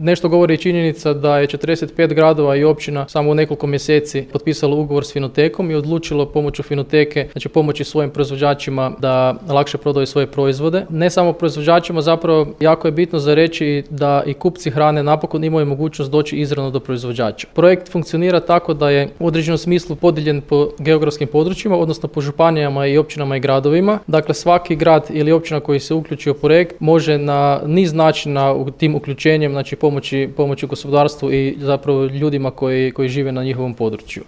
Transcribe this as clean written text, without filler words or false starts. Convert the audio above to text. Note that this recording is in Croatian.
Nešto govori i činjenica da je 45 gradova i općina samo u nekoliko mjeseci potpisalo ugovor s Finotekom i odlučilo pomoću Finoteke, znači pomoći svojim proizvođačima da lakše prodaju svoje proizvode. Ne samo proizvođačima, zapravo jako je bitno za reći da i kupci hrane napokon imaju mogućnost doći izravno do proizvođača. Projekt funkcionira tako da je u određenom smislu podijeljen po geografskim područjima, odnosno po županijama i općinama i gradovima. Dakle, svaki grad ili općina koji se uključi u projekt može na niz načina u tim uključenjem, znači pomoći gospodarstvu i zapravo ljudima koji žive na njihovom području.